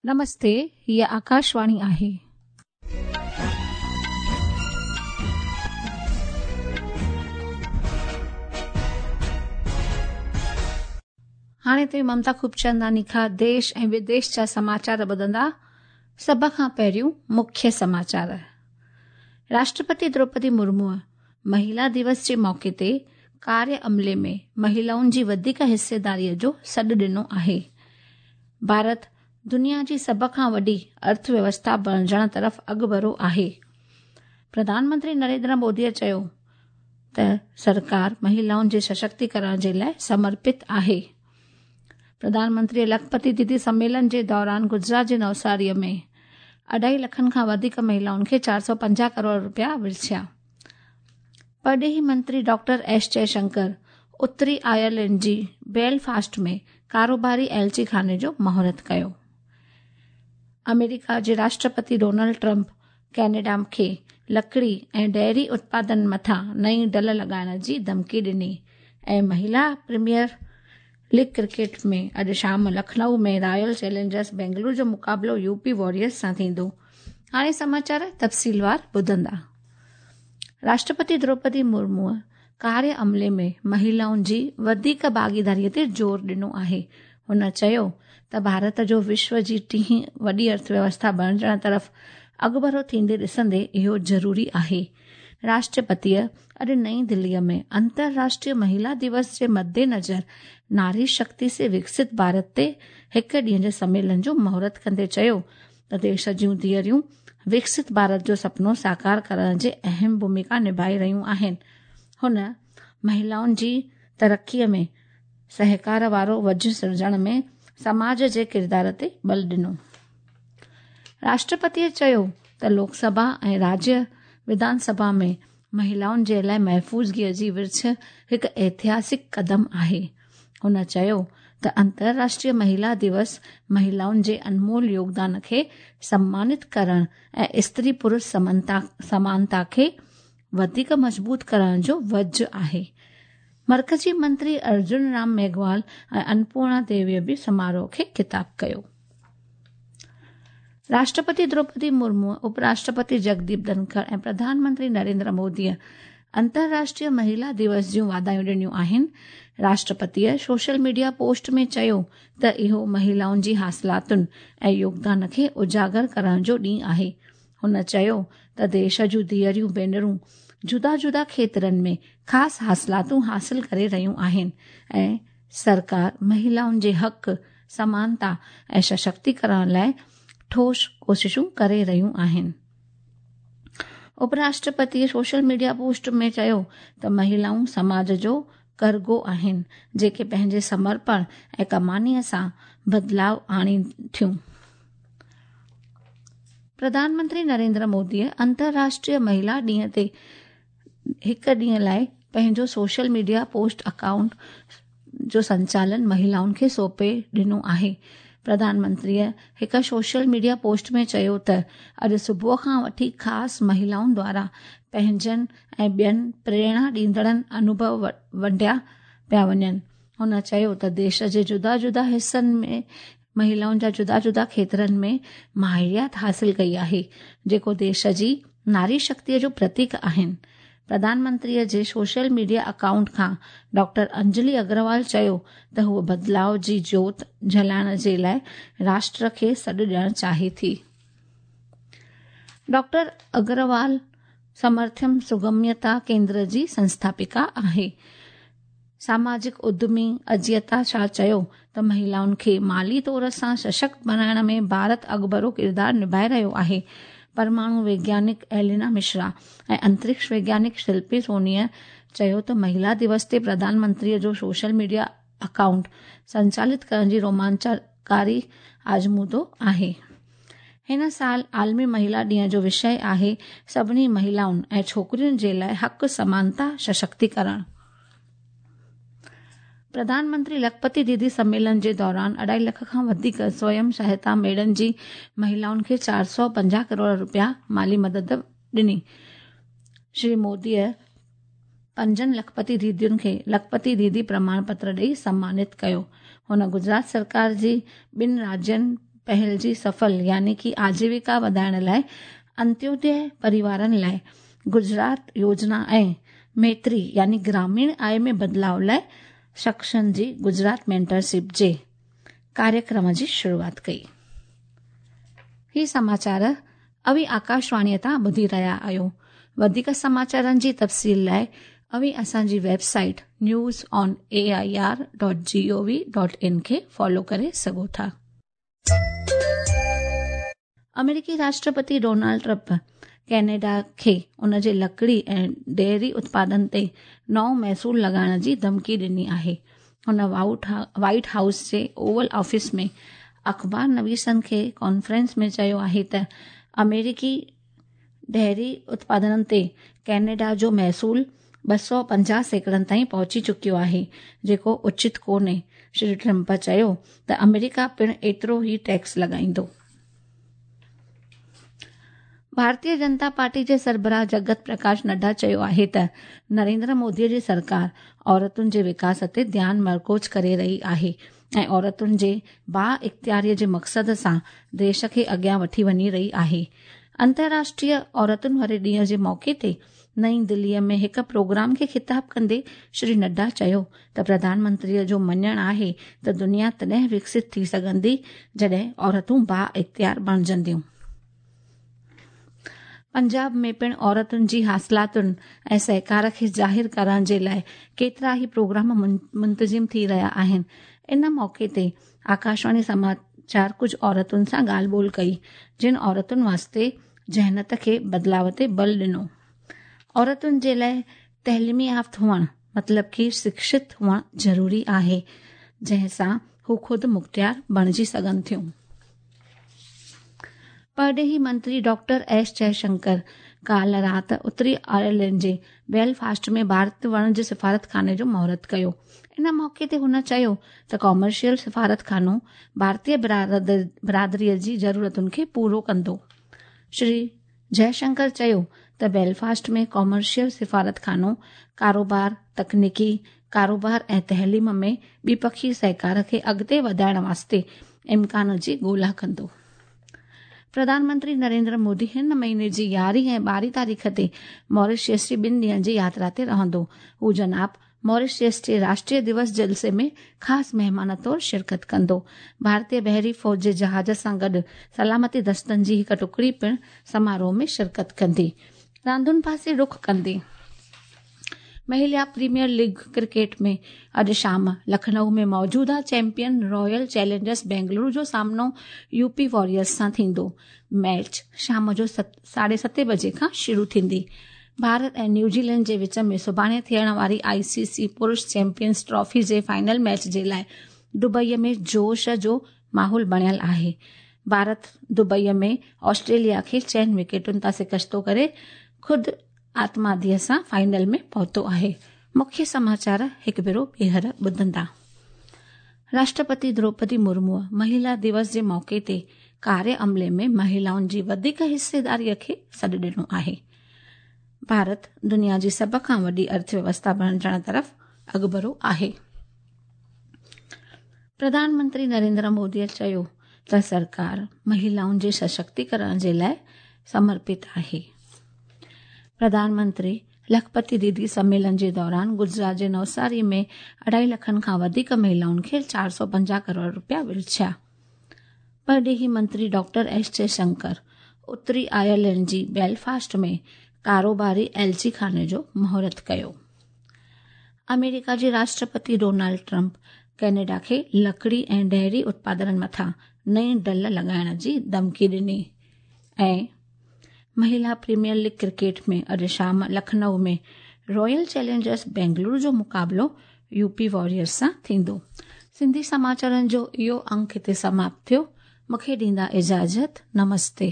نمستي، هيء آڪاشواڻي آهي. هاڻي توهين ممتا خوبچنداني کان ديش ۽ وديش جا سماچار ٻڌندا. سڀ کان پهريون مکيه سماچار. راشٽرپتي دروپدي مرموء مهيلا دوس جي موقعي تي ڪاريه عملي ۾ مهيلائن جي وڌيڪ حصيداريء جو سڏ ڏنو آهي. ڀارت دنيا جي سڀ کان وڏي ارٿ ويوسٿا بڻجڻ طرف اڳڀرو آهي. پرڌان منتري نريندر موديء چيو ته سرڪار مهيلائن جي سشڪتيڪرڻ جي لاء سمرپت آهي. پرڌان منتريء لکپتي ديدي سميلن جي دوران گجرات جي نوساريء ۾ اڍائي لکن کان وڌيڪ مهيلائن کي 450 ڪروڙ رپيا ورڇيا. پرڏيهي منتري ڊاڪٽر ايس جئشنڪر اتري آئرلينڊ جي بيلفاسٽ ۾ ڪاروباري ايلچي خاني جو مهورت ڪيو. آمريڪا جي راشٽرپتي ڊونلڊ ٽرمپ ڪينيڊا کي لڪڙي ۽ ڊيري اتپادن مٿان نئين ڍل لڳائڻ جي ڌمڪي ڏني ۽ مهيلا پريميئر ليگ ڪرڪيٽ ۾ اڄ شام لکنؤ ۾ رائل چئلينجرز بينگلور جو مقابلو يو پي واريئرز سان ٿيندو. هاڻي سماچار تفصيلوار ٻڌندا. راشٽرپتي دروپدي مرموء ڪاريه عملي ۾ مهيلائن جي وڌيڪ ڀاڳيداري تي زور ڏنو آهي. هن چيو ته ڀارت جو وشو جي ٽين وڏي ارٿ ويوسٿا بڻجڻ طرف اڳڀرو ٿيندي ڏسندي اهو ضروري آهي. راشٽرپتيء اڄ نئين دليء ۾ انترراشٽريه مهيلا دوس جي مدنظر ناري شڪتي سي وڪست ڀارت تي هڪ ڏينهن جي سميلن جو مهورت ڪندي چيو ته ديش جون ڌيئريون وڪست ڀارت جو سپنو ساڪار ڪرڻ جي اهم ڀوميڪا نڀائي رهيون آهن. هن مهيلائن جي ترقيء ۾ سهڪار وارو وجهه سرجڻ ۾ سماج جي ڪردار تي ٻل ڏنو. راشٽرپتيء چيو ته لوڪ سڀا ۽ راجيه وڌان سڀا ۾ مهيلائن جي لاء محفوظگيء جي ورڇ هڪ ايتهاسڪ قدم آهي. هن چيو ته انترراشٽريه مهيلا دوس مهيلائن جي انمول يوگدان کي سمانت ڪرڻ ۽ استري پرش سمانتا کي وڌيڪ مضبوط ڪرڻ جو وجهه آهي. مرڪزي منتري ارجن رام ميگهوال ۽ انپورڻا ديويء به سماروهه کي خطاب ڪيو. راشٽرپتي دروپدي مرمو، اپ راشٽرپتي جگديپ ڌنکڙ ۽ پرڌان منتري نريندر موديء انترراشٽريه مهيلا دوس جون واڌايون ڏنيون آهن. راشٽرپتيء سوشل ميڊيا پوسٽ ۾ چيو ته اهو مهيلائن جي حاصلاتن ۽ يوگدان کي اجاگر ڪرڻ جو ڏينهن آهي. هن چيو ته ديش جون ڌيئريون ڀينرون جدا جدا کيترن ۾ خاص حاصلاتون حاصل ڪري رهيون آهن ۽ سرڪار مهيلائن جي حق، سمانتا ۽ سشڪتيڪرڻ لاء ٺوس ڪوششون ڪري رهيون آهن. اپ راشٽرپتيء سوشل ميڊيا پوسٽ ۾ چيو ته مهيلائون سماج جو ڪرڳو آهن، جيڪي پنهنجي سمرپڻ ۽ ڪمانيء سان بدلاء آڻين ٿيون. پرڌان منتري نريندر موديء انترراشٽريه مهيلا ڏينهن تي هڪ ڏينهن لاء پنهنجو سوشل ميڊيا پوسٽ اڪائونٽ جو سنچالن مهيلائن کي سونپي ڏنو آهي. پرڌان منتريء هڪ سوشل ميڊيا پوسٽ ۾ چيو ته اڄ صبح کان وٺي خاص مهيلائن دوارا پنهنجن ۽ ٻين پريرڻا ڏيندڙن انوڀو ونڊيا پيا وڃن. هن چيو ته ديش جي جدا جدا حصن ۾ مهيلائن جا جدا جدا کيترن ۾ ماهريت حاصل ڪئي آهي، جيڪو ديش جي ناري شڪتيء جو پرتيڪ آهن. پرڌان منتريء جي سوشل ميڊيا اڪائونٽ کان ڊاڪٽر انجلي اگروال چيو ته هوء بدلاء جي جوت جلائڻ جي لاء راشٽر کي سڏ ڏيڻ چاهي ٿي. ڊاڪٽر اگروال سمرٿيم سگميتا ڪيندر جي سنسٿاپڪا آهي. ساماجڪ ادمي اجيتا شاهه چيو ته مهيلائن کي مالي طور سان سشڪت بڻائڻ ۾ ڀارت اڳڀرو ڪردار نڀائي رهيو آهي. پرماڻو ويگيانڪ ايلينا مشرا ۽ انترڪش ويگيانڪ شلپي سونيء چيو ته مهيلا دوس تي پرڌان منتريء جو سوشل ميڊيا اڪائونٽ سنچالت ڪرڻ جي رومانچڪاري آزمودو آهي. هن سال عالمي مهيلا ڏينهن جو وشيه آهي سڀني مهيلائن ۽ ڇوڪرين جي لاء حق، سمانتا، سشڪتيڪرڻ. پرڌان منتري لکپتي ديدي سميلن جي دوران اڍائي لک کان وڌيڪ سويم سهائتا ميڙن جي مهيلائن کي 450 ڪروڙ رپيا مالي مدد ڏني. شري موديء پنجن لکپتي ديدين کي لکپتي ديدي پرماڻ پتر ڏئي سمانت ڪيو. هن گجرات سرڪار جي ٻن راجين پهل جي سڦل يعني ڪه آجيوڪا وڌائڻ لاءِ انتيودي پريوارن لاءِ گجرات يوجنا ۽ ميتري يعني گراميڻ آي ۾ بدلاءُ لاءِ شخصن جي گجرات مينٽرشپ جي ڪاريڪرم جي شروعات ڪئي. هي سماچار اوهين آڪاشواڻيءَ تان ٻڌي رهيا آهيو. وڌيڪ سماچارن جي تفصيل لاءِ اوهين اسان جي website news on A I R dot G O V dot in کي فالو ڪري سگهو ٿا. آمريڪي راشٽرپتي ڊونلڊ ٽرمپ ڪينيڊا کي ان جي لڪڙي ۽ ڊيري اتپادن تي نئون محصول لڳائڻ جي ڌمڪي ڏني آهي. هن وائيٽ هائوس جي اوول آفيس ۾ اخبار نويسن کي ڪانفرنس ۾ چيو آهي ته آمريڪي ڊيري اتپادنن تي ڪينيڊا جو محصول 250 سيڪڙن تائين پهچي چڪيو آهي، جيڪو اچت ڪونهي. شري ٽرمپ چيو ته آمريڪا پڻ ايترو ئي ٽيڪس لڳائيندو. ڀارتيه جنتا پارٽي جي سربراهه جگت پرڪاش نڊا چيو آهي ته نريندر مودي جي سرڪار عورتن جي وڪاس تي ڌيان مرڪوز ڪري رهي آهي ۽ عورتن جي با اختياري جي مقصد سان ديش کي اڳيان وٺي وڃي رهي آهي. انترراشٽريه عورتن واري ڏينهن جي موقعي تي نئين دليء ۾ هڪ پروگرام کي خطاب ڪندي شري نڊا چيو ته پرڌان منتريء جو مڃڻ آهي ته دنيا تڏهن وڪست ٿي سگهندي جڏهن عورتون با اختيار بڻجنديون. پنجاب ۾ پڻ عورتن جي حاصلاتن ۽ سهڪار کي ظاهر ڪرڻ جي لاءِ ڪيترا ئي پروگرام منتظم ٿي رهيا آهن. ان موقعي تي آڪاشواڻي سماچار ڪجهه عورتن سان ڳالهه ٻولهه ڪئي، جن عورتن واسطي ذهنيت کي بدلاءُ تي بل ڏنو. عورتن جي لاءِ تعليمي يافته هئڻ مطلب ڪه شڪشت هئڻ ضروري آهي، جنهن سان هو خود مختيار بڻجي سگهن ٿيون. پرڏيهي منتري ڊاڪٽر ايس جئشنڪر ڪالهه رات اتري آئرلينڊ جي بيلفاسٽ ۾ ڀارت وڻج سفارتخاني جو مهورت ڪيو. ان موقعي تي هن چيو ته ڪامرشل سفارتخانو ڀارتيه برادريء جي ضرورتن کي پورو ڪندو. شري جئشنڪر چيو ته بيلفاسٽ ۾ ڪامرشل سفارتخانو ڪاروبار، تڪنيڪي ڪاروبار ۽ تعليم ۾ ٻپکي سهڪار کي اڳتي وڌائڻ واسطي امڪان جي ڳولا ڪندو. پرڌان منتري نريندر مودي هن مهيني جي 11 ۽ 12 تاريخ تي ماريشس جي 2 ڏينهن جي ياترا تي رهندو. هو جناب ماريشس جي راشٽريه دوس جلسي ۾ خاص مهمان طور شرڪت ڪندو. ڀارتيه بحري فوج جي جهاز سان گڏ سلامتي دستن جي هڪ ٽڪڙي پڻ سماروهه ۾ شرڪت ڪندي. راندن پاسي رخ ڪندي مهلا پريميئر ليگ ڪرڪيٽ ۾ اڄ شام لکنؤ ۾ موجوده چيمپيئن رائل چئلينجرس بينگلورو جو سامنو يوپي واريئرز سان ٿيندو. ميچ شام جو 7:30 بجي کان شروع ٿيندي. ڀارت ۽ نيوزيلينڊ جي وچ ۾ سڀاڻي ٿيڻ واري آءِ سي سي پرش چيمپيئنز ٽرافي جي فائنل ميچ جي لاءِ دبئي ۾ جوش جو ماحول بڻيل آهي. ڀارت دبئي ۾ آسٽريليا کي 4 وڪيٽن تان شڪستو ڪري خود آتماديءَ سان فائنل ۾ پهتو آهي. مکيه سماچار هڪ ڀيرو ٻيهر ٻڌندا. راشٽرپتي دروپدي مرموءَ مهلا دوس جي موقعي تي ڪاريه عملي ۾ مهلائن جي وڌيڪ حصيداريءَ کي سڏ ڏنو آهي. ڀارت دنيا جي سڀ کان وڏي ارٿويوسٿا بڻجڻ طرف اڳڀرو آهي. پرڌان منتري نريندر موديءَ چيو ته سرڪار مهلائن جي سشڪتيڪرڻ جي لاءِ سمرپت آهي. پرڌان منتري لکپتي ديدي سميلن جي دوران گجرات جي نوساري ۾ 2.5 لکن کان وڌيڪ مهلائن کي 450 ڪروڙ رپيا ورڇيا. پرڏيهي منتري ڊاڪٽر ايس جئشنڪر اتري آئرلينڊ جي بيلفاسٽ ۾ ڪاروباري ايلچي خاني جو مهورت ڪيو. آمريڪا جي راشٽرپتي ڊونلڊ ٽرمپ ڪينيڊا کي لڪڙي ۽ ڊيري اتپادنن مٿان نئين ڍل لڳائڻ جي ڌمڪي ڏني. ۽ مهلا پريميئر ليگ ڪرڪيٽ ۾ اڄ شام لکنؤ ۾ رائل چئلينجرس بينگلورو جو مقابلو يوپي واريئرز سان ٿيندو. سنڌي سماچارن جو اهو انڪ هتي سماپت ٿيو. مون کي ڏيندا اجازت. نمستي.